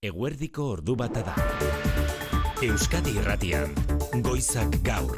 Eguerdiko ordu bata da. Euskadi Irratian, Goizak Gaur.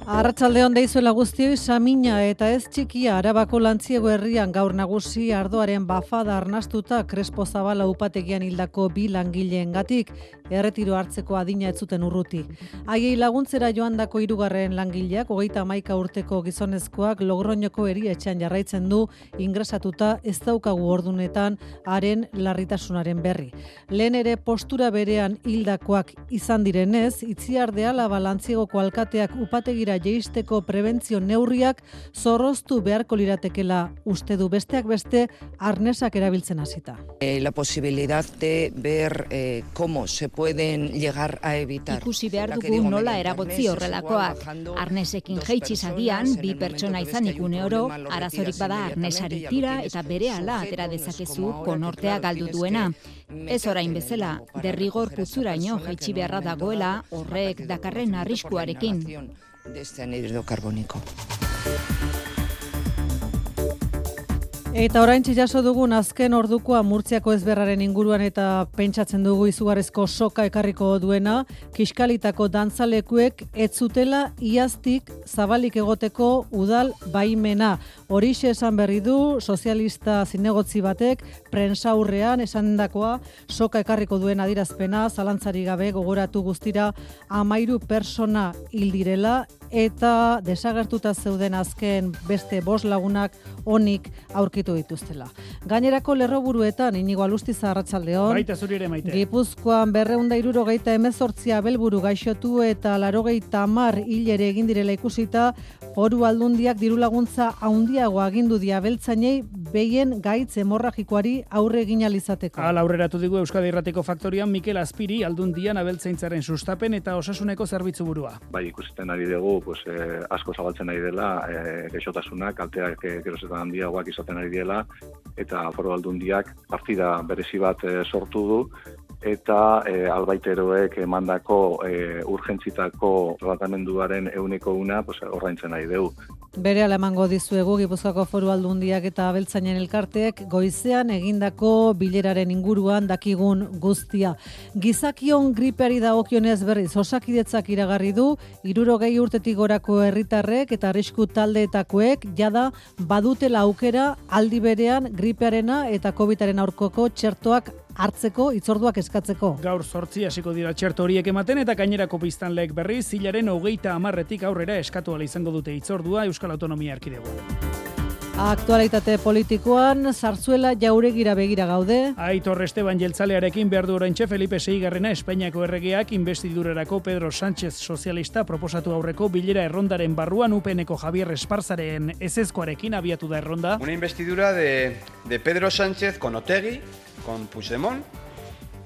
Arratsaldeon deizuela guztioi, Samina eta ez txikia Arabako Lantziego herrian gaur nagusi ardoaren bafada arnastuta Crespo Zabala upategian hildako 2 langileengatik erretiro hartzeko adina ez zuten urruti. Haiei laguntzera joandako 3. langileak 31 urteko gizonezkoak Logroñoko erietxean jarraitzen du ingresatuta, ez daukagu ordunetan haren larritasunaren berri. Lehen ere postura berean hildakoak izan direnez, Itziarde Alaba Lantziegoko alkateak upategira jeisteko prebentzio neurriak zorroztu beharko liratekela uste du, besteak beste arnesak erabiltzen hasita. La posibilidad de ver cómo se pueden llegar a evitar. Ikusi behar dugu nola eragotzi horrelakoak. Arnesekin jeitsi agian, 2 pertsona izanik une oro, arazorik bada arnesari tira eta berehala atera dezakezu konortea galdu duena. Ez orain bezala, derrigor putzuraino jaitsi beharra dagoela horrek dakarren arriskuarekin. De este anhídrido carbónico. Eta oraintxe jaso dugun azken ordukoa Murtziako ezberraren inguruan eta pentsatzen dugu izugarrizko soka ekarriko duena, Kiskalitako dantzalekuek ez zutela iaztik zabalik egoteko udal baimena. Horixe esan berri du sozialista zinegotzi batek prentsaurrean esandakoa soka ekarriko duen adierazpena, zalantzari gabe gogoratu guztira 13 pertsona hil direla eta desagertuta zeuden azken beste 5 lagunak onik aurkitu dituztela. Gainerako lerroburuetan Inigo Alustiza, arratsaldeon. Baita zuri ere, Maite. Gipuzkoan 278 abelburu gaixotu eta 90 hil ere egin direla ikusita, Foru Aldundiak diru laguntza handiago agindu die abeltzainei behien gaitz hemorragikoari aurre egin ahal izateko. Hala aurreratu digu Euskadi Irratiko Faktorian Mikel Azpiri Aldundian abeltzaintzaren sustapen eta osasuneko zerbitzu burua. Bai, ikusten ari dugu, asko zabaltzen ari dela, gaixotasunak, kalteak gerozetan handiagoak izaten ari dela, eta Foru Aldundiak partida berezi bat sortu du, eta albaiteroek emandako urgentzitako tratamenduaren 100% ordaintzen ari dugu. Berehala emango dizuegu Gipuzkoako Foru Aldundiak eta abeltzainen elkarteek goizean egindako bileraren inguruan dakigun guztia. Gizakion gripeari dagokionez berriz Osakidetzak iragarri du 60 urtetik gorako herritarrek eta arrisku taldeetakoek jada badutela aukera aldi berean gripearena eta COVIDaren aurkako txertoak hartzeko hitzorduak eskatzeko. Gaur 8 hasiko dira txerto horiek ematen eta gainerako biztanleek berriz hilaren 30 aurrera eskatu ahal izango dute hitzordua Euskal Autonomia Erkidegoan. Aktualitate politikoan Zarzuela Jauregira begira gaude. Aitor Esteban jeltzalearekin behar du oraintxe Felipe VI Espainiako erregeak investidurarako Pedro Sánchez sozialista proposatu aurreko bilera errondaren barruan UPNeko Javier Esparzaren ezezkoarekin abiatu da erronda. Una investidura de Pedro Sánchez con Otegi, con Puigdemont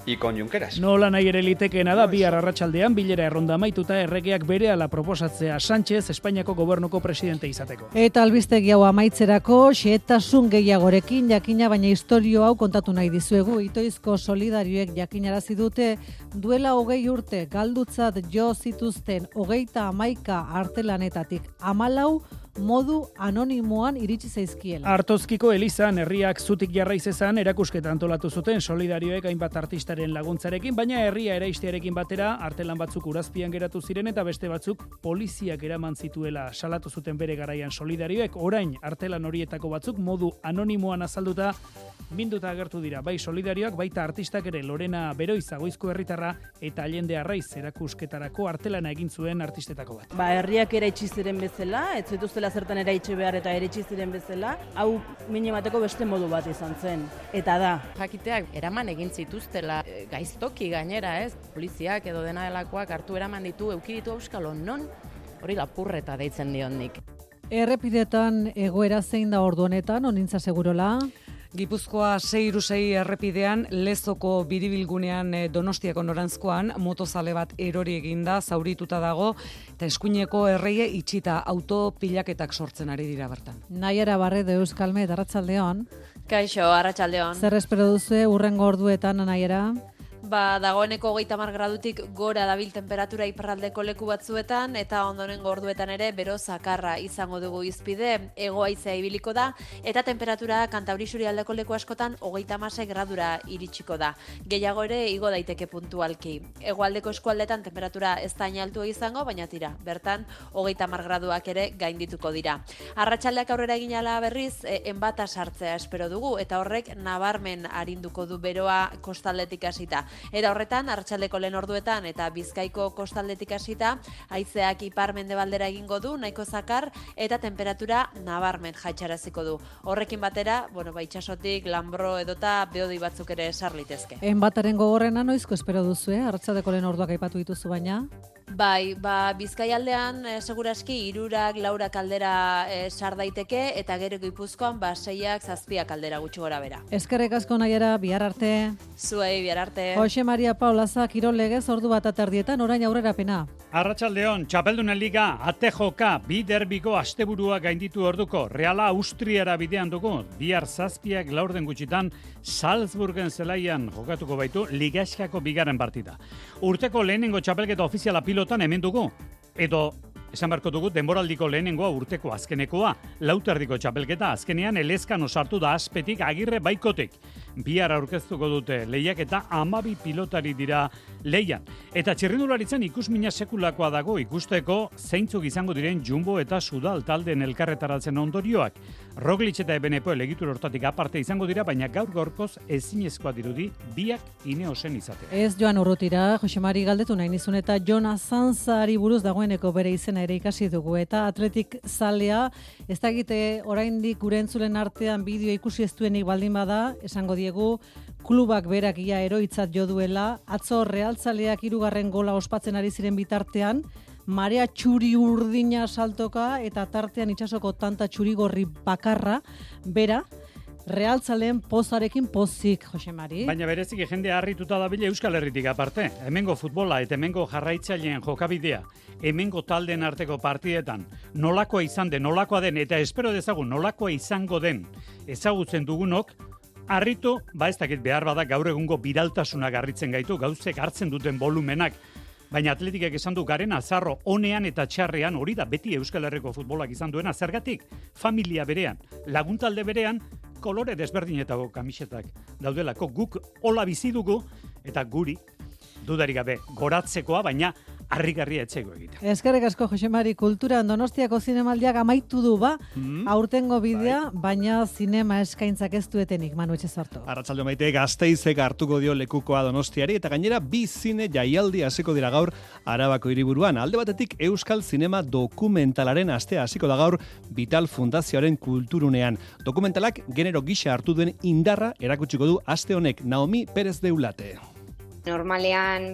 y con Junqueras. Nola nahi ere litekeena da bihar arratsaldean bilera erronda amaituta erregeak berehala proposatzea Sánchez Espainiako gobernuko presidente izateko. Eta albistegi hau amaitzerako xehetasun gehiagorekin jakina, baina istorio hau kontatu nahi dizuegu. Itoizko solidarioek jakinarazi dute duela 20 urte galdutzat jo zituzten 31 artelanetatik 14 modu anonimoan iritsi zaizkiela. Artozkiko Elizan herriak zutik jarraiz ezan erakusketa antolatu zuten solidarioek hainbat artistaren laguntzarekin, baina herria eraistearekin batera artelan batzuk urazpian geratu ziren eta beste batzuk poliziak eraman zituela salatu zuten bere garaian solidarioek. Orain artelan horietako batzuk modu anonimoan azalduta minduta agertu dira. Bai solidarioak, baita artistak ere. Lorena Beroiza Goizko herritarra eta Allende Arraiz erakusketarako artelana egin zuen artistetako bat. Herriak eraitsi ziren bezala, ez zituztela zertan eraitsi behar eta eraitsi ziren bezala, hau min emateko beste modu bat izan zen. Eta da. Jakiteak eraman egin zituztela gaiztoki gainera, ez? Poliziak edo dena delakoak hartu eraman ditu, euki ditu auskalo non, hori lapurreta deitzen dion nik. Errepidetan egoera zein da ordu honetan, onintza segurola? Gipuzkoa 636 errepidean Lezoko biribilgunean Donostiako norantzkoan motozale bat erori eginda, zaurituta dago eta eskuineko erreie itxita autopilaketak sortzen ari dira bertan. Naiara Barredo Euskalmet, arratsaldeon. Kaixo, arratsaldeon. Zer espero duzu hurrengo orduetan, Naiara? Dagoeneko 30 gradutik gora dabil temperatura iparraldeko leku batzuetan, eta ondorengo orduetan ere bero zakarra izango dugu izpide, hego-haizea ibiliko da, eta temperatura Kantauri isurialdeko leku askotan 36 gradura iritsiko da. Gehiago ere igo daiteke puntualki. Hegoaldeko eskualdetan temperatura ez da altua izango, baina tira, bertan 30 graduak ere gaindituko dira. Arratsaldeak aurrera egin ala berriz, enbata sartzea espero dugu, eta horrek nabarmen arinduko du beroa kostaldetik hasita. Eta horretan, arratsaldeko lehen orduetan eta Bizkaiko kostaldetik hasita, haizeak ipar-mendebaldera egingo du, nahiko zakar, eta temperatura nabarmen jaitsaraziko du. Horrekin batera, itsasotik lanbro edota beodei batzuk ere sar litezke. Enbataren gogorrena noizko espero duzu, arratsaldeko lehen orduak aipatu dituzu baina? Bai, Bizkaialdean seguraski 3, 4 aldera sar daiteke, eta gero Gipuzkoan 6, 7 aldera gutxi gora bera. Eskerrik asko Naiara, bihar arte. Zuei, bihar arte. Jose Maria Paulaza, kirol legez ordu bat aterdietan, orain aurrerapena. Arratsaldeon, Txapeldunen Liga, ATJK, bi derbiko asteburua gainditu orduko, Reala Austriara bidean dugu, bihar 7 laurden gutxitan, Salzburgen zelaian jokatuko baitu Ligaskako bigarren partida. Urteko lehenengo txapelketa ofiziala pilotan hemen dugu, edo esan beharko dugu denboraldiko lehenengoa urteko azkenekoa, lauterdiko txapelketa azkenean elezkan osartu da Azpetik Agirre Baikotik. Bihar aurkeztuko dute lehiak eta 12 pilotari dira lehian. Eta txirrindularitzen ikusmina sekulakoa dago ikusteko zeintzuk izango diren Jumbo eta Sudal taldeen elkarretaratzen ondorioak. Roglic eta Ebenepoel egitura hortatik aparte izango dira, baina gaur-gaurkoz ezinezkoa dirudi biak Ineosen izatea. Ez joan urrutira, Jose Mari galdetu nahi nizun, eta Jonas Sanzari buruz dagoeneko bere izena ere ikasi dugu, eta atletik zalea, ez dakite oraindik gure entzulen artean bideo ikusi ez duenik baldin bada, esango diegu, klubak berak ia eroitzat jo duela, atzo realtzaleak 3. gola ospatzen ari ziren bitartean, marea txuri urdina saltoka eta tartean itsasoko tanta txurigorri bakarra, bera, realtzaleen pozarekin pozik, Jose Mari. Baina bereziki jende harrituta dabile Euskal Herritik aparte. Hemengo futbola eta hemengo jarraitzaileen jokabidea, hemengo taldeen arteko partidetan, nolakoa izan den, nolakoa den, eta espero dezagun nolakoa izango den ezagutzen dugunok, harritu, ez dakit behar bada gaur egungo biraltasuna garritzen gaitu, gauzek hartzen duten volumenak, baina atletikek esan du garen azarro onean eta txarrean, hori da beti Euskal Herriko futbolak izan duena, zergatik familia berean, laguntalde berean, kolore desberdinetako kamisetak daudelako, guk hola bizi dugu, eta guri, dudarik gabe, goratzekoa, baina harrigarria etxego egiten. Eskerrik asko, Jose Mari, kulturan Donostiako zinemaldiak amaitu du aurtengo bidea, baina zinema eskaintzak ez duetenik, Manu Etxezarto. Arratsalde maite, Gasteizek hartuko dio lekukoa Donostiari, eta gainera bi zine jaialdi hasiko dira gaur Arabako hiriburuan. Alde batetik Euskal Zinema dokumentalaren astea hasiko da gaur Vital Fundazioaren kulturunean. Dokumentalak genero gisa hartu duen indarra erakutsiko du aste honek Naomi Perez de Ulate. Normalean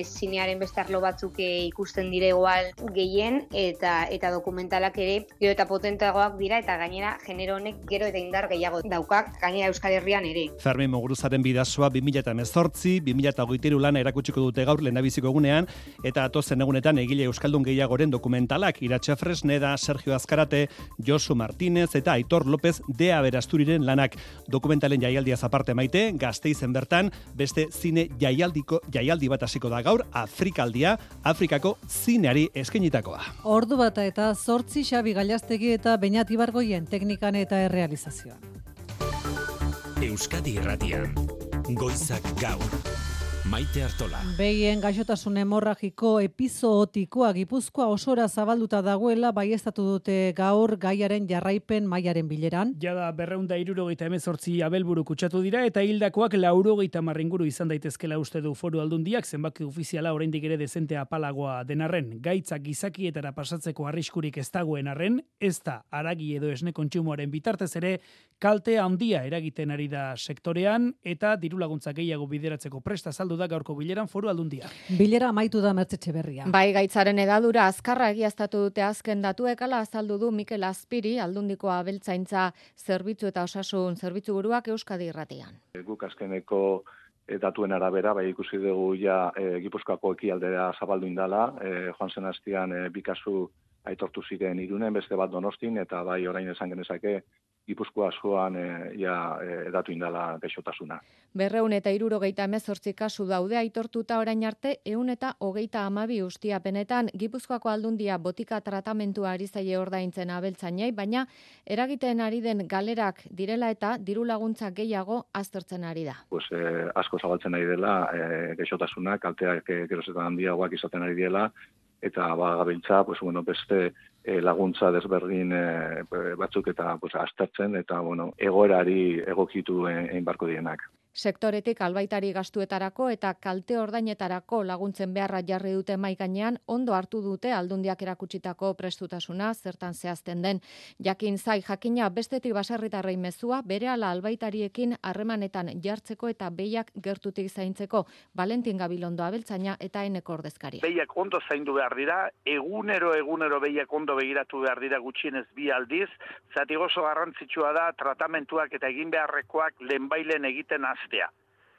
zinearen beste arlo batzuk ikusten dire igual gehien eta dokumentalak ere gero eta potentagoak dira eta gainera genero honek gero eta indar gehiago daukak gainera Euskal Herrian ere. Fermin Muguruzaren bidazoa 2018, 2023 lana erakutsiko dute gaur lehendabiziko egunean eta atozen egunetan egile euskaldun gehiagoren dokumentalak Iratxe Fresneda, Sergio Azkarate, Josu Martínez eta Aitor López de Aberasturiren lanak. Dokumentalen jaialdiaz aparte maite, Gasteizen bertan beste zine jaialdi bat hasiko da gaur, Afrikaldia, Afrikako zineari eskainitakoa. Ordu bata eta 8 Xabi Gallastegi eta Beñat Ibargoien teknikan eta errealizazioan. Euskadi Irratian, Goizak Gaur. Maite Artola. Behien gaixotasun hemorragiko epizootikoa Gipuzkoa osora zabalduta dagoela baieztatu dute gaur gaiaren jarraipen mailaren bileran. Jada 278 abelburu kutsatu dira eta hildakoak 90 inguru izan daitezkela uste du Foru Aldundiak, zenbaki ofiziala oraindik ere dezente apalagoa denarren, gaitzak gizakietara pasatzeko arriskurik ez dagoen arren, ez da haragi edo esne kontsumoaren bitartez ere kalte handia eragiten ari da sektorean eta dirulaguntza gehiago bideratzeko presta azaldu da gaurko bileran Foru Aldundia. Bilera amaitu da Mertzetxe Berria. Bai, gaitzaren edadura azkarra egiaztatu dute azken datuek, hala azaldu du Mikel Azpiri, Aldundiko abeltzaintza zerbitzu eta osasun zerbitzu buruak Euskadi Irratian. Guk azkeneko datuen arabera, bai ikusi dugu ja Gipuzkoako ekialdera zabaldu indala, joan zen astean 2 kasu aitortu ziren Irunen, beste bat Donostin, eta bai orain esan genezake Gipuzkoa askoan edatu indala gaixotasuna. 278 kasu daude aitortuta orain arte, 132 ustiapenetan. Gipuzkoako Aldundia botika tratamentua ari zaie ordaintzen abeltzainei, baina eragiten ari den galerak direla eta diru laguntza gehiago aztertzen ari da. Asko zabaltzen ari dela gaixotasuna, kalteak gerozetan handiagoak izaten ari dela, eta gabiltza, beste laguntza desberdin batzuk eta aztertzen, eta egoerari egokitu egin barko dienak. Sektoretik albaitari gastuetarako eta kalte ordainetarako laguntzen beharra jarri dute mahai gainean, ondo hartu dute Aldundiak erakutsitako prestutasuna, zertan zehazten den. Jakin zai jakina bestetik baserritarrei mezua, berehala albaitariekin harremanetan jartzeko eta behiak gertutik zaintzeko. Valentin Gabilondo abeltzaina eta Eneko ordezkaria. Behiak ondo zaindu behar dira, egunero behiak ondo begiratu behar dira gutxienez 2 aldiz, zati oso garrantzitsua da tratamentuak eta egin beharrekoak lehenbailen egiten aztea.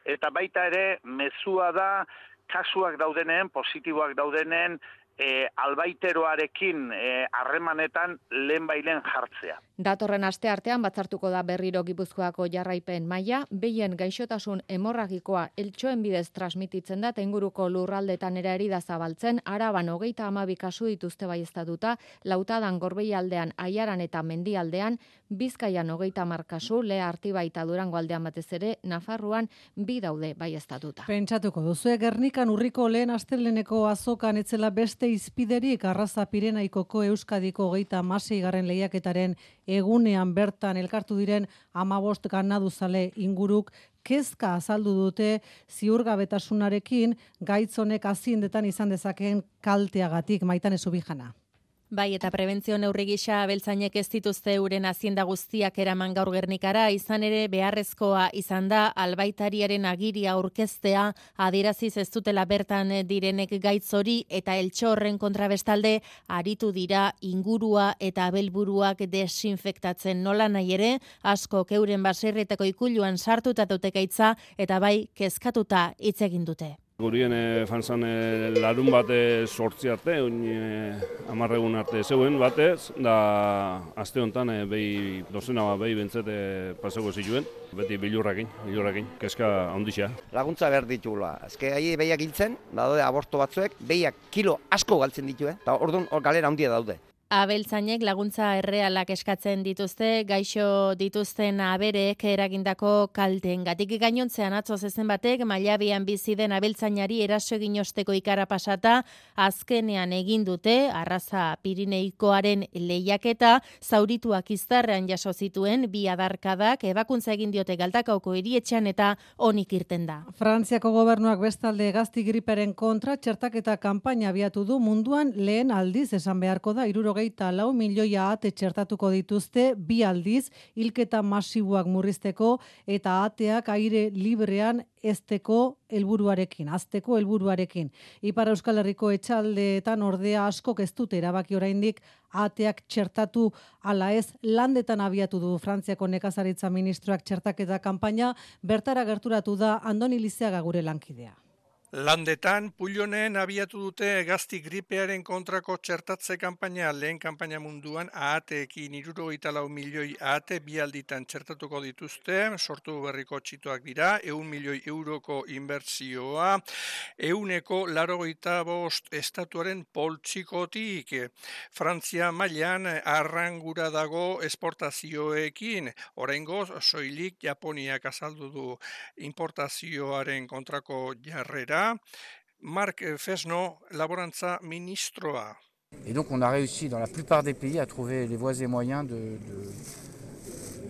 Eta baita ere, mezua da, kasuak daudenen, positiboak daudenen, albaiteroarekin harremanetan lehenbailen jartzea. Datorren aste artean batzartuko da berriro Gipuzkoako jarraipen maila, behien gaixotasun hemorragikoa eltxoen bidez transmititzen da, inguruko lurraldetan ere da zabaltzen, Araban 32 kasu dituzte baieztatuta, Lautadan, Gorbeialdean, Aiaran eta Mendialdean, Bizkaian 30 kasu, Lea Artibai eta Durango aldean batez ere, Nafarroan 2 daude baieztatuta. Pentsatuko duzu, Gernikan urriko lehen asteleneko azokan etzela beste izpiderik Arraza Pirenaikoko Euskadiko 36. lehiaketaren egunean bertan elkartu diren 15 ganaduzale inguruk kezka azaldu dute ziurgabetasunarekin gaitzonek aziendetan izan dezakeen kalteagatik. Maitane Zubijana. Bai, eta prebentzio neurri gisa abeltzainek ez dituzte euren azienda guztiak eraman gaur Gernikara, izan ere beharrezkoa izan da albaitariaren agiria aurkeztea, adieraziz ez dutela bertan direnek gaitz hori eta eltxo horren kontrabestalde aritu dira ingurua eta abelburuak desinfektatzen. Nola nahi ere, asko euren baserrietako ikuluan sartuta dute gaitza eta bai kezkatuta hitz egin dute. Gurien fanzan larun bate 8 arte, 10 egun arte zeuen batez, da aste honetan dozena behi bentzete pasako zituen, beti bilurrakin, kezka handixea. Laguntza behar ditugula, azke ahi behiak hiltzen, daude aborto batzuek, behiak kilo asko galtzen dituen, eta orduan galera handia daude. Abeltzainek laguntza errealak eskatzen dituzte, gaixo dituzten aberek eragindako kalteengatik. Gainontzean atzo zezen batek Mailabian bizi den abeltzainari eraso egin osteko ikara pasata, azkenean egin dute Arraza Pirineikoaren lehiaketa, zaurituak iztarrean jaso zituen 2 adarkadak, ebakuntza egin diote Galdakaoko hirietxean eta onik irten da. Frantziako gobernuak bestalde gazti griperen kontra txertaketa kanpaina abiatu du, munduan lehen aldiz esan beharko da 64 milioi ahate txertatuko dituzte 2 aldiz hilketa masiboak murrizteko eta ateak aire librean azteko helburuarekin. Ipar Euskal Herriko etxaldeetan ordea askok ez dute erabaki oraindik ateak txertatu ala ez, landetan abiatu du Frantziako nekazaritza ministroak txertaketa kanpaina, bertara gerturatu da Andoni Lizeaga gure lankidea. Landetan, Pullonen abiatu dute gazti gripearen kontrako txertatze kanpaina, lehen kanpaina munduan ahateekin 64 milioi ahate 2 alditan txertatuko dituzte, sortu berriko txitoak dira, 100 milioi euroko inbertsioa, 185 estatuaren poltsikotik. Frantzia mailan arrangura dago esportazioekin, oraingoz soilik Japoniak azaldu du importazioaren kontrako jarrera. Marc Fesno, laborantza ministroa. Et donc on a réussi dans la plupart des pays à trouver les voies et moyens de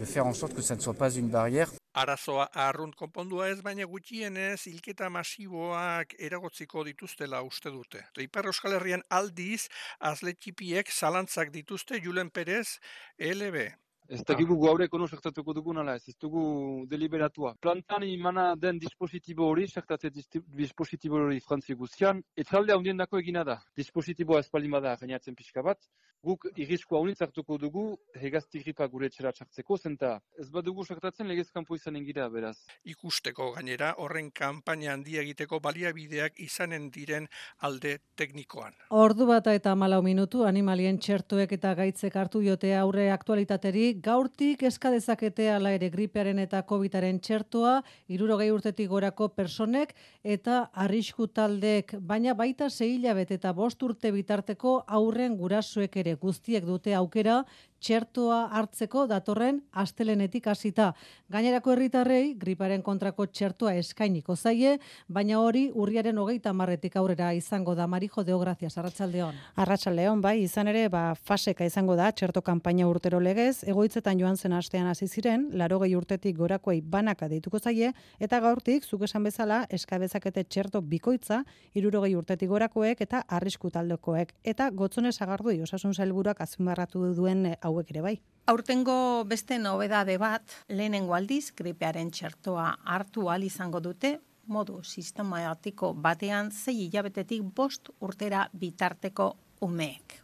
faire en sorte que ça ne soit pas une barrière. Arazoa arrunt konpondua ez, baina gutxienez hilketa masiboak eragotziko dituztela uste dute. Ipar Euskal Herrian aldiz, azletxipiek zalantzak dituzte Julen Perez, LB. Ez dakigu gaur ekono zertatuko dugun ala ez dugu deliberatua. Plantan imana den dispositibo hori, zertate dispositibo hori Frantzi guztian, etralde handien dako egina da. Dispositiboa espaldimada gainatzen pixka bat, Guk irriskua haunitz hartuko dugu hegazti gripa gure etxera txartzeko, zenta ez badugu sartatzen legez kanpo izanen gira, beraz. Ikusteko gainera horren kanpaina handia egiteko baliabideak izanen diren alde teknikoan. Ordu bata eta 14 minutu animalien txertuek eta gaitzek hartu jote aurre aktualitateri, gaurtik eska dezakete hala ere gripearen eta COVIDaren txertua 60 urtetik gorako personek eta arrisku taldeek, baina baita 6 hilabete eta 5 urte bitarteko aurren gurasoek ere guztiek dute aukera txertoa hartzeko datorren astelenetik hasita. Gainerako herritarrei griparen kontrako txertoa eskainiko zaie, baina hori urriaren 30etik aurrera izango da. Marijo Deo, gracias. Arratsaldeon. Arratsaldeon, bai, izan ere, faseka izango da txerto kanpaina urtero legez, egoitzetan joan zen astean hasi ziren, 80 urtetik gorakoei banaka deituko zaie, eta gaurtik, zuk esan bezala, eskabezakete txerto bikoitza, 60 urtetik gorakoek eta arrisku taldekoek. Eta Gotzone Sagardui osasun sailburuak azpimarratu duen hauek ere bai. Aurtengo beste nobedade bat, lehenengo aldiz gripearen txertoa hartu ahal izango dute, modu sistematiko batean 6 hilabetetik 5 urtera bitarteko umeek.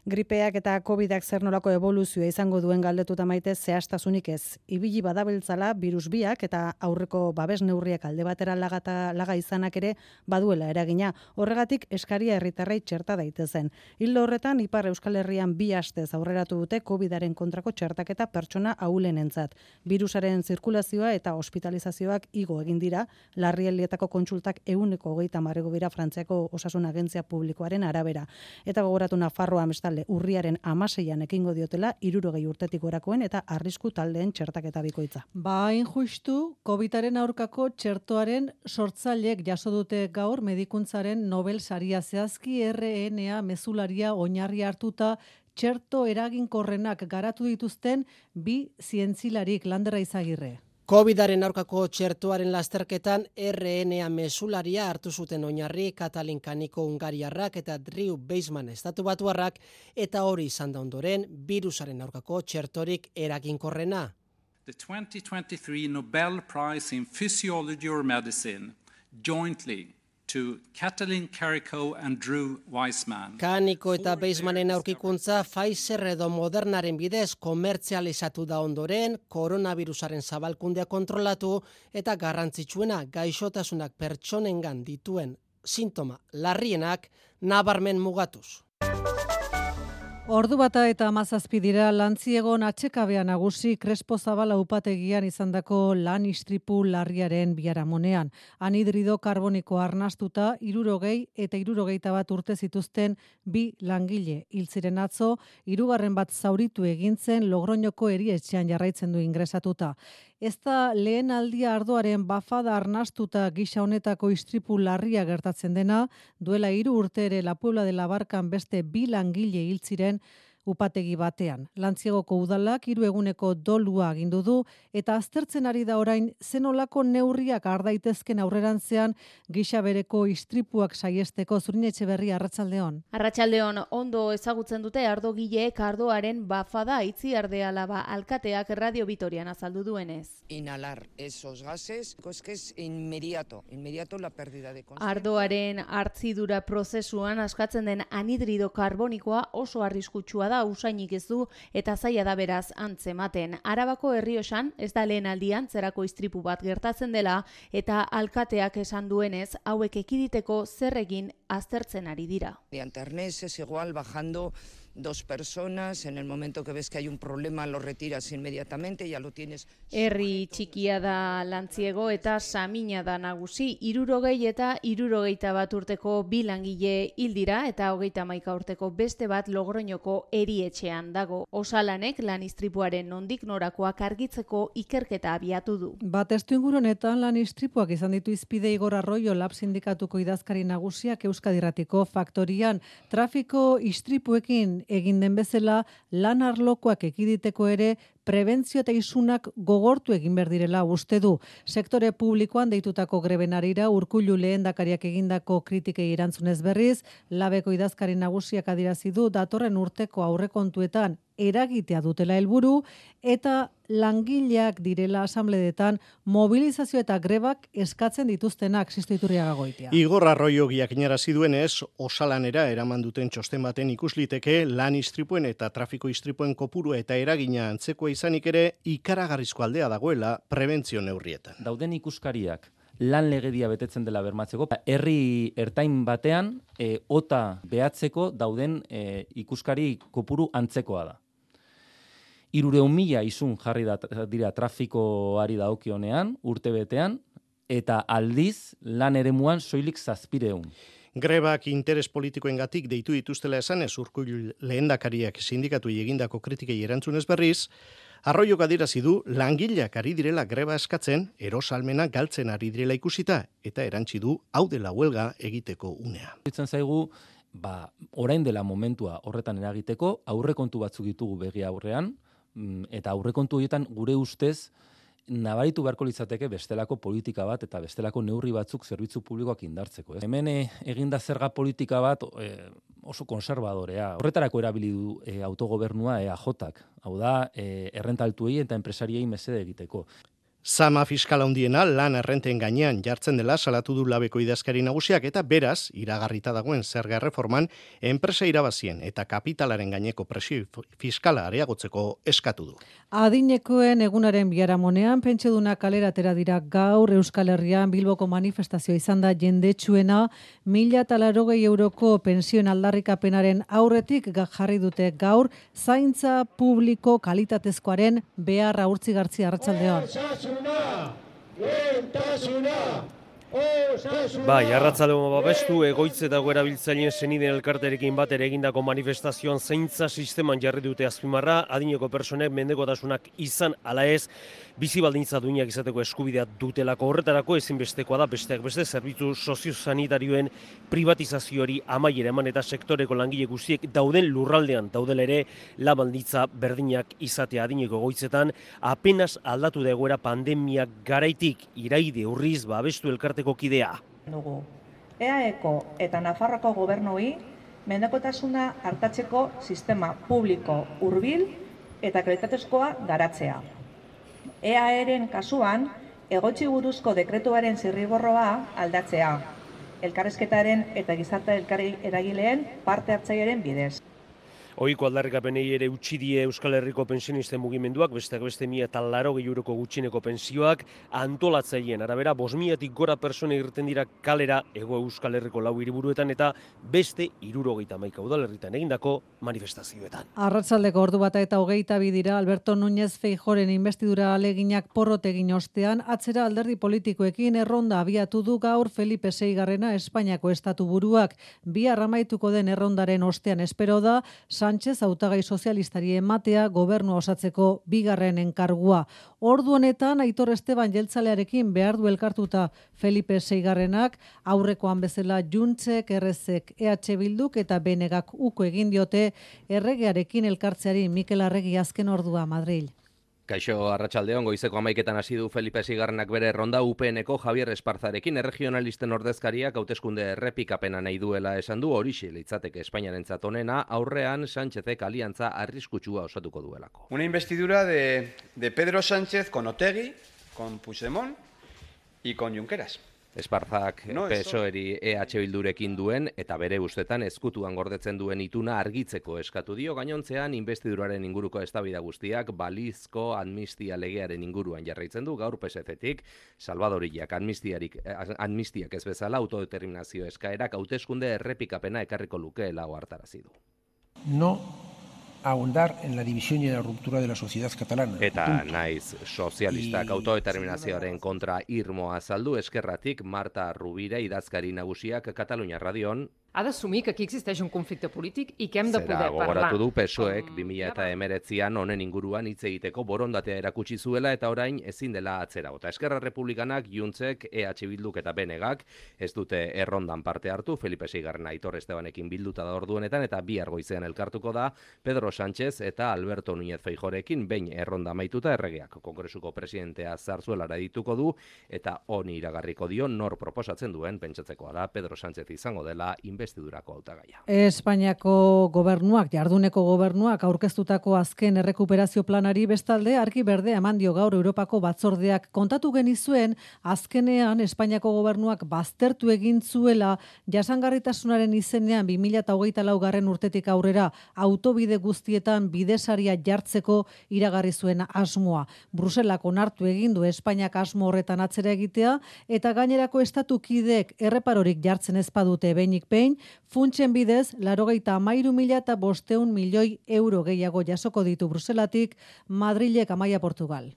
Gripeak eta COVIDak zer nolako evoluzioa izango duen galdetuta maite zehaztasunik ez. Ibili badabiltzala virus biak eta aurreko babes neurriak alde batera laga izanak ere baduela eragina. Horregatik eskaria herritarrei txerta daitezen. Ildo horretan Ipar Euskal Herrian 2 astez aurreratu dute COVIDaren kontrako txertaketa pertsona ahulenentzat. Virusaren zirkulazioa eta hospitalizazioak igo egin dira, larrialdietako kontsultak 130 dira Frantziako Osasun Agentzia Publikoaren arabera. Eta gogoratu Nafarroa urriaren 16an ekingo diotela 60 urtetik gorakoen eta arrisku taldeen txertaketa bikoitza. Hain justu, COVIDaren aurkako txertoaren sortzaileek jaso dute gaur medikuntzaren Nobel saria, zehazki RNA mezularia oinarri hartuta txerto eraginkorrenak garatu dituzten 2 zientzilarik. Landera Izagirre. COVIDaren aurkako txertoaren lasterketan RNA mesularia hartu zuten oinarri Katalin Kaniko Hungariarrak eta Drew Weissman estatubatuarrak, eta hori izan da ondoren birusaren aurkako txertorik eraginkorrena. The 2023 Nobel Prize in Physiology or Medicine jointly to Katalin Kariko and Drew Weissman. Kaniko eta Weissmanen aurkikuntza Pfizer edo Modernaren bidez komertzializatu da ondoren, koronavirusaren zabalkundea kontrolatu eta garrantzitsuena gaixotasunak pertsonengan dituen sintoma larrienak nabarmen mugatuz. Ordu bata eta 17 dira Lantziegon atxekabea nagusi Crespo Zabala upategian izandako lan istripu larriaren biharamonean. Anhidrido karboniko arnastuta 60 eta 61 urte zituzten 2 langile hil ziren atzo, 3. bat zauritu egintzen Logroñoko erietxean jarraitzen du ingresatuta. Ez da lehen aldia ardoaren bafada arnastuta gisa honetako istripu larria gertatzen dena, duela 3 urte ere La Puebla de la Barcan beste 2 langile hil ziren upategi batean. Lantziegoko udalak 3 eguneko dolua agindu du eta aztertzen ari da orain zenolako neurriak har daitezken aurrerantzean gisa bereko istripuak saiesteko. Zurin Etxeberria, arratsaldeon. Arratsaldeon, ondo ezagutzen dute ardogileek ardoaren bafada Itziarde-Alaba alkateak Radio Vitorian azaldu duenez. Inhalar esos gases, es que es inmediato la pérdida de conciencia. Ardoaren hartzidura prozesuan askatzen den anhidrido karbonikoa oso arriskutsua da, usainik ez du eta zaila da beraz antzematen. Arabako Errioxan ez da lehen aldian zerako istripu bat gertatzen dela eta alkateak esan duenez hauek ekiditeko zer egin aztertzen ari dira. Mediante arneses igual bajando 2 personas, en el momento que ves que hay un problema lo retiras inmediatamente, ya lo tienes. Herri txikia da Lantziego eta Samina da nagusi, 60 eta 61 urteko 2 langile hil dira eta 31 urteko beste bat Logroñoko erietxean dago. Osalanek lan istripuaren nondik norakoak argitzeko ikerketa abiatu du. Testuinguru honetan lan istripuak izan ditu izpide Igor Arroyo Lab sindikatuko idazkari nagusiak Euskadi Irratiko faktorian. Trafiko istripuekin egin den bezala lan arlokoak ekiditeko ere prebentzio eta isunak gogortu egin behar direla uste du. Sektore publikoan deitutako grebenarira Urkullu lehendakariak egindako kritikei erantzunez berriz, Labeko idazkari nagusiak adierazi du datorren urteko aurrekontuetan eragitea dutela helburu eta langileak direla asambledetan mobilizazio eta grebak eskatzen dituztenak Sisto Iturriaga Goitia. Igor Arroyo jakinarazi duenez, osalanera eraman duten txosten baten ikusliteke lan istripuen eta trafiko istripuen kopurua eta eragina antzekoa izanik ere ikaragarrizko aldea dagoela prebentzio neurrietan. Dauden ikuskariak lan legedia betetzen dela bermatzeko, herri ertain batean ota behatzeko dauden ikuskari kopuru antzekoa da. 300.000 izun jarri dira trafikoari dagokionean, urtebetean, eta aldiz lan eremuan soilik 700. Grebak interes politikoengatik deitu dituztela esanez Urkullu lehendakariak sindikatuei egindako kritikei erantzunez berriz, Arroyok adierazi du langileak ari direla greba eskatzen, erosalmena galtzen ari direla ikusita, eta erantzi du hau dela huelga egiteko unea. Ditzen zaigu, orain dela momentua horretan eragiteko, aurrekontu batzuk ditugu begi aurrean, eta aurrekontu horietan gure ustez nabaritu beharko litzateke bestelako politika bat eta bestelako neurri batzuk zerbitzu publikoak indartzeko. Hemen eginda zerga politika bat oso konservadorea. Horretarako erabili du autogobernua EAJak. Hau da, errenta altuei eta enpresariei mesede egiteko. Zama fiskala handiena lan errenten gainean jartzen dela salatu du Labeko idazkari nagusiak eta beraz, iragarrita dagoen zerga erreforman, enpresa irabazien eta kapitalaren gaineko presio fiskala areagotzeko eskatu du. Adinekoen egunaren biharamonean pentsiodunak kalera atera dira gaur Euskal Herrian Bilboko manifestazioa izan da jendetsuena 1.080 euroko pensioen aldarrikapenaren aurretik jarri dute gaur zaintza publiko kalitatezkoaren beharra urtzigartzi arratsaldean. Bai, arratsaldeko babestu egoitze dago erabiltzaileen senideen elkarterekin batera egindako manifestazioan zaintza sisteman jarri dute azpimarra, adineko personek mendekotasunak izan ala ez, bizi baldintza duinak izateko eskubidea dutelako. Horretarako ezinbestekoa da besteak beste zerbitzu soziosanitarioen privatizazioari amaiera eman eta sektoreko langile guztiek dauden lurraldean daudela ere lan baldintza berdinak izatea. Adineko egoitzetan apenas aldatu da egoera pandemia garaitik iraide urriz babestu elkarteko kidea. EAEko eta Nafarroako gobernuei mendekotasuna hartatzeko sistema publiko hurbil eta kalitatezkoa garatzea. EAEren kasuan, egotzi buruzko dekretuaren zirriborroa aldatzea, elkarrizketaren eta gizarte eragileen parte hartzailearen bidez. Ohiko aldarrikapenei ere utzi die Euskal Herriko pensionisten mugimenduak, besteak beste 1.080 euroko gutxieneko pensioak, antolatzaileen arabera 5.000tik gora pertsona irten dira kalera Hego Euskal Herriko 4 hiriburuetan eta beste 71 udalerritan egindako manifestazioetan. Arratsaldeko 1:22 dira Alberto Núñez Feijóoren investidura aleginak porrot egin ostean, atzera alderdi politikoekin erronda abiatu du gaur Felipe VI Espainiako estatuburuak. Bihar amaituko den errondaren ostean espero da Sánchez hautagai sozialistari ematea gobernua osatzeko bigarren enkargua. Ordu honetan Aitor Esteban jeltzalearekin behar du elkartuta Felipe VI aurrekoan bezala Juntzek, Errezek, EH Bilduk eta Benegak uko egin diote erregearekin elkartzeari. Mikel Arregi azken ordua Madril. Kaixo, arratsaldeon, goizeko 11etan hasi du Felipe VI bere erronda UPNeko Javier Esparzarekin erregionalisten ordezkariak hauteskunde errepikapena nahi duela esan du, horixe litzateke Espainiarentzat onena, aurrean Sánchezek aliantza arriskutsua osatuko duelako. Una investidura de Pedro Sánchez con Otegi, con Puigdemont y con Junqueras. Esparzak PSOEri EH Bildurekin duen eta bere ustetan ezkutuan gordetzen duen ituna argitzeko eskatu dio, gainontzean investiduraren inguruko eztabaida guztiak balizko amnistia legearen inguruan jarraitzen du. Gaur PSC-tik Salvadorillak amnistiak ez bezala autodeterminazio eskaerak hauteskunde errepikapena ekarriko lukeela ohartarazi du. No ahondar en la división y en la ruptura de la sociedad catalana. Eta naiz sozialistak autodeterminazioaren kontra irmoa azaldu, Eskerratik Marta Rubira idazkari nagusiak Katalunia Radion ha d'assumir que aquí existeix un conflicte polític i que hem de poder parlar. Gogoratu du PSOEk 2019an honen inguruan hitz egiteko borondatea erakutsi zuela eta orain ezin dela atzera bota. Eskerra Republikanak, Juntzek, EH Bilduk eta Benegak ez dute errondan parte hartu. Felipe VI Aitor Estebanekin bilduta da orduenetan eta bihar goizean elkartuko da Pedro Sánchez eta Alberto Núñez Feijóorekin behin erronda amaituta erregeak Kongresuko presidentea Zarzuelara dituko du eta honi iragarriko dio nor proposatzen duen. Pentsatzekoa da Pedro Sánchez izango dela inbestidurako hautagaia. Espainiako gobernuak, jarduneko gobernuak aurkeztutako azken errekuperazio planari bestalde argi berdea eman dio gaur Europako batzordeak. Kontatu genizuen azkenean Espainiako gobernuak baztertu egin zuela jasangarritasunaren izenean 2024 urtetik aurrera autobide guztietan bidesaria jartzeko iragarri zuen asmoa. Bruselak onartu egin du Espainiak asmo horretan atzera egitea eta gainerako estatukideek erreparorik jartzen ez badute behinik behin, funtsen bidez 93.500 milioi euro gehiago jasoko ditu Bruselatik Madrilek Amaia Portugal.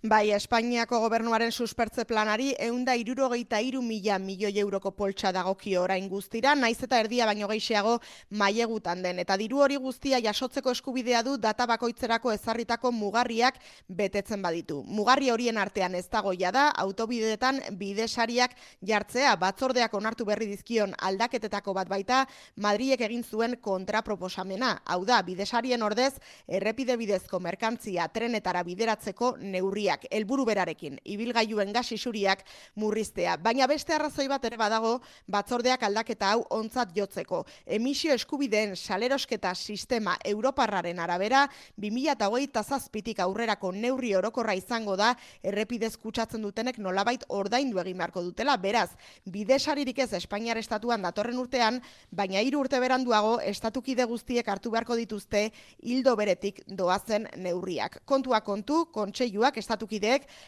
Bai, Espainiako gobernuaren suspertze planari 163.000 milioi euroko poltsa dagokio orain guztira, naiz eta erdia baino gehiago mailegutan den. Eta diru hori guztia jasotzeko eskubidea du data bakoitzerako ezarritako mugarriak betetzen baditu. Mugarri horien artean ez dagoia da, autobideetan bidesariak jartzea, batzordeak onartu berri dizkion aldaketetako bat baita, Madrilek egin zuen kontraproposamena. Hau da, bidesarien ordez, errepide bidezko merkantzia trenetara bideratzeko neurriak. Helburu berarekin, ibilgailuen gas isuriak murriztea. Baina beste arrazoi bat ere badago batzordeak aldaketa hau ontzat jotzeko. Emisio eskubideen salerosketa sistema europarraren arabera, 2027tik aurrerako neurri orokorra izango da errepidez kutsatzen dutenek nolabait ordaindu egin beharko dutela. Beraz, bidesaririk ez Espainiar estatuan datorren urtean, baina 3 urte beranduago estatukide guztiek hartu beharko dituzte ildo beretik doazen neurriak. Kontua kontu, kontseiluak estatukideek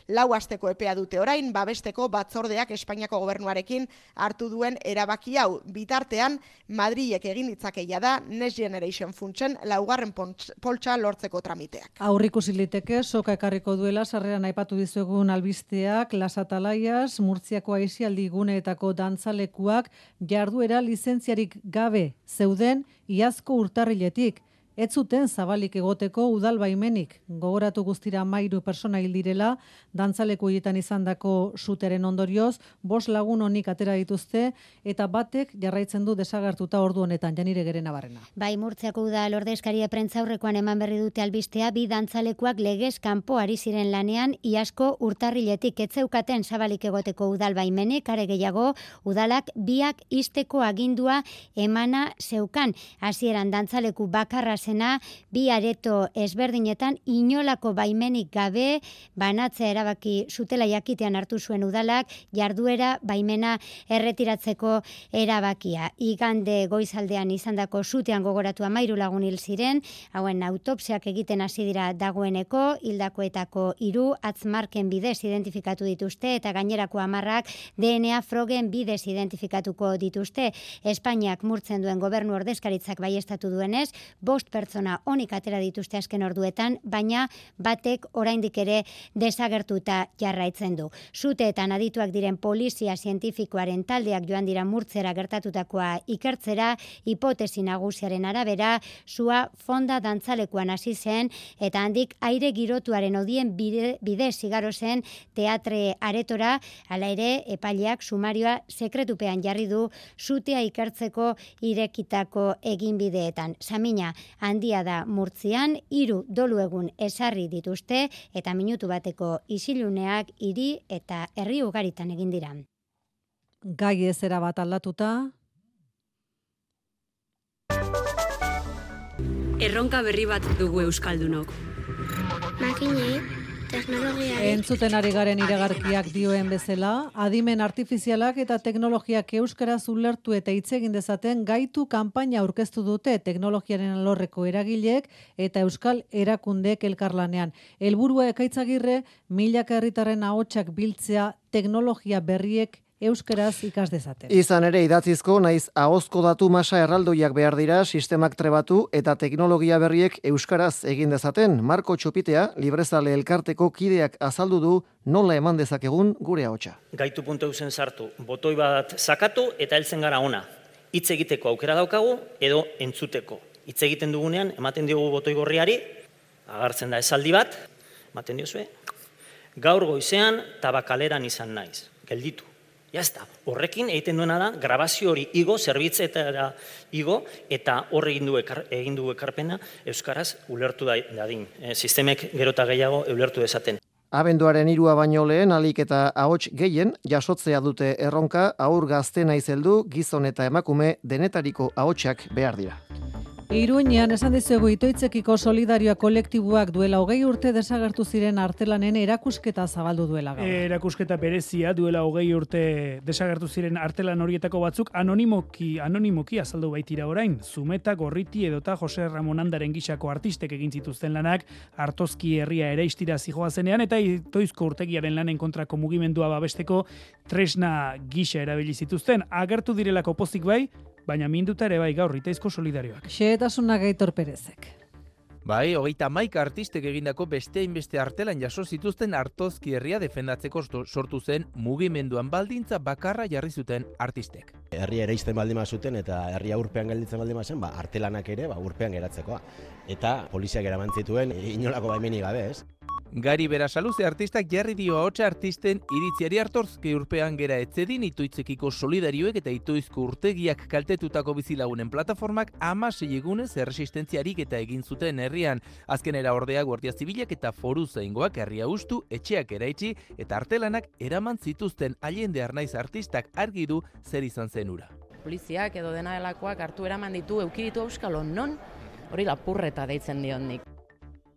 4 asteko epea dute orain, babesteko batzordeak Espainiako gobernuarekin hartu duen erabaki hau. Bitartean, Madrilek egin ditzakeia da Next Generation funtsen 4. poltsa lortzeko tramiteak. Aurrikusi liteke soka ekarriko duela sarreran aipatu dizuegun albisteak, Las Atalaias, Murtziako aisialdi guneetako dantzalekuak jarduera lizentziarik gabe zeuden iazko urtarriletik. Ez zuten zabalik egoteko udal baimenik. Gogoratu guztira 13 pertsona hil direla, dantzaleku horietan izandako suteren ondorioz, 5 lagun honik atera dituzte, eta batek jarraitzen du desagertuta ordu honetan, Janire Gerenabarrena. Bai, Murtziako udal ordezkaria prentzaurrekoan eman berri dute albistea, 2 dantzalekuak legez kanpo ari ziren lanean, iazko urtarriletik ez zeukaten zabalik egoteko udal baimenik, are gehiago, udalak biak ixteko agindua emana zeukan. Hasieran dantzaleku bakarra 2 areto ezberdinetan inolako baimenik gabe banatzea erabaki zutela jakitean hartu zuen udalak jarduera baimena erretiratzeko erabakia. Igande goizaldean izandako sutean gogoratu 13 lagun hil ziren, hauen autopsiak egiten hasi dira dagoeneko, hildakoetako 3 atzmarken bidez identifikatu dituzte eta gainerako 10 DNA frogen bidez identifikatuko dituzte. Espainiak murtzen duen gobernu ordezkaritzak baiestatu duenez, 5 pertsona onik atera dituzte azken orduetan, baina batek oraindik ere desagertuta jarraitzen du. Suteetan adituak diren polizia zientifikoaren taldeak joan dira Murtzera gertatutakoa ikertzera, hipotesi nagusiaren arabera, sua fonda dantzalekuan hasi zen eta handik aire girotuaren odien bidez igaro zen teatre aretora, hala ere epaileak sumarioa sekretupean jarri du sutea ikertzeko irekitako eginbideetan. Samina handia da Murtzian, 3 dolu egun esarri dituzte eta minutu bateko isiluneak hiri eta herri ugaritan egin dira. Gai ez erabat aldatuta. Erronka berri bat dugu euskaldunok. Makinei teknologiari. Entzuten ari garen iragarkiak dioen bezala, adimen artifizialak eta teknologiak euskaraz ulertu eta hitz egin dezaten gaitu kanpaina aurkeztu dute teknologiaren alorreko eragileek eta euskal erakundeek elkarlanean. Helburua Ekaitzagirre, milaka herritarren ahotsak biltzea teknologia berriek euskaraz ikas dezaten. Izan ere idatzizko naiz ahozko datu masa erraldoiak behar dira sistemak trebatu eta teknologia berriek euskaraz egin dezaten. Marko Txopitea, Librezale elkarteko kideak azaldu du nola eman dezakegun gure ahotsa. Gaitu.eusen sartu, botoi bat sakatu eta heltzen gara ona. Hitz egiteko aukera daukagu edo entzuteko. Hitz egiten dugunean ematen diogu botoi gorriari, agartzen da esaldi bat, ematen diozue, gaur goizean tabakaleran izan naiz, gelditu. Jazta, horrekin egiten duena da, grabazio hori igo, zerbitzetara igo, eta hor egin du ekarpena euskaraz ulertu dadin. Sistemek gero eta gehiago ulertu dezaten. Abenduaren 3 baino lehen alik eta ahots gehien jasotzea dute erronka, haur gazte naiz heldu, gizon eta emakume denetariko ahotsak behar dira. Iruñean esan dizuegu Itoitzekiko Solidarioa kolektiboak duela 20 urte desagertu ziren artelanen erakusketa zabaldu duela gaur. Erakusketa berezia duela 20 urte desagertu ziren artelan horietako batzuk anonimoki azaldu baitira orain. Zumeta, Gorriti edota Jose Ramon Andaren gisako artistek egin zituzten lanak Artozki herria eraistira zijoazenean eta Itoizko urtegiaren lanen kontrako mugimendua babesteko tresna gisa erabili zituzten. Agertu direlako pozik bai, baina minduta ere bai gaur Itoizko Solidarioak. Xehetasuna Gaitor Perezek. Bai, 31 artistek egindako beste hainbeste artelan jaso zituzten Artozki herria defendatzeko sortu zen mugimenduan baldintza bakarra jarri zuten artistek. Herria eraisten baldin zuten eta herria urpean gelditzen baldin zen, artelanak ere urpean geratzekoa. Eta poliziak eraman zituen inolako baimenik gabe, ez? Gari Berasaluze artistak jarri dio ahotsa artisten iritziari Artozki urpean gera etzedin Itoitzekiko Solidarioek eta Itoizko urtegiak kaltetutako bizilagunen plataformak 16 egunez erresistentziarik eta egin zuten herrian. Azkenera ordea Guardia Zibilak eta Foru Zaingoak herria hustu, etxeak eraitsi eta artelanak eraman zituzten. Allende Arnaiz artistak argi du zer izan zen ura. Poliziak edo dena delakoak hartu eraman ditu eukiritu euskalo non, hori lapurreta deitzen diondik.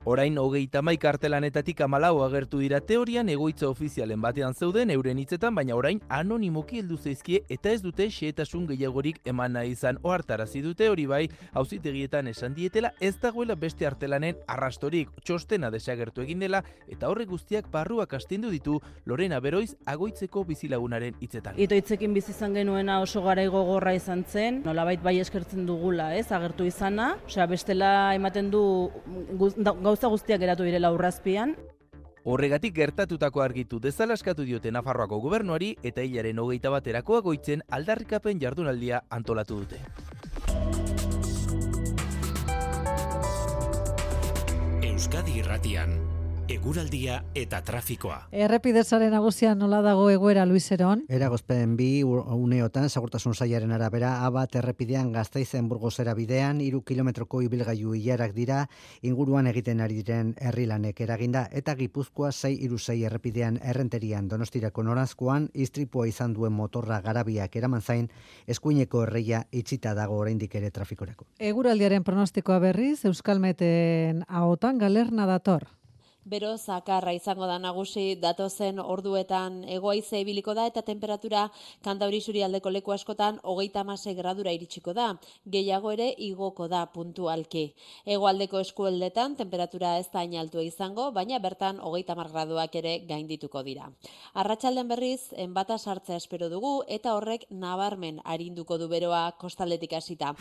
Orain 31 artelanetatik 14 agertu dira teorian egoitza ofizialen batean zeuden euren hitzetan, baina orain anonimoki heldu zaizkie eta ez dute xehetasun gehiagorik eman nahi izan. Ohartarazi dute hori bai, auzitegietan esan dietela ez dagoela beste artelanen arrastorik, txostena desagertu egin dela eta horrek guztiak barruak astindu ditu Lorena Beroiz Agoitzeko bizilagunaren hitzetan. Itoitzekin bizi izan genuena oso garai gogorra izan zen, nolabait bai eskertzen dugula, ez, agertu izana, osea bestela ematen du gauza guztiak geratu direla urrazpian. Horregatik gertatutako argitu dezala eskatu diote Nafarroako gobernuari eta hilaren 21 Agoitzen aldarrikapen jardunaldia antolatu dute. Euskadi Irratian, eguraldia eta trafikoa. Errepidezaren nagusian nola dago egoera, Luis Eron? Eragozpen 2 uneotan segurtasun sailaren arabera A1 errepidean Gasteizen Burgosera bidean 3 kilometroko ibilgailu ilarak dira inguruan egiten ari diren herrilanek eraginda eta Gipuzkoa 636 errepidean Errenterian Donostirako noranzkoan istripua izan duen motorra garabiak eraman zain eskuineko erreia itxita dago oraindik ere trafikorako. Eguraldiaren pronostikoa berriz Euskalmeten ahotan Galerna dator. Bero zakarra izango da nagusi datozen orduetan hego-haize ibiliko da eta temperatura Kantauri isurialdeko leku askotan 36 gradura iritsiko da. Gehiago ere igoko da puntualki. Hegoaldeko eskualdetan temperatura ez da hain altua izango, baina bertan 30 graduak ere gaindituko dira. Arratsalden berriz enbata sartzea espero dugu eta horrek nabarmen arinduko du beroa kostaldetik hasita.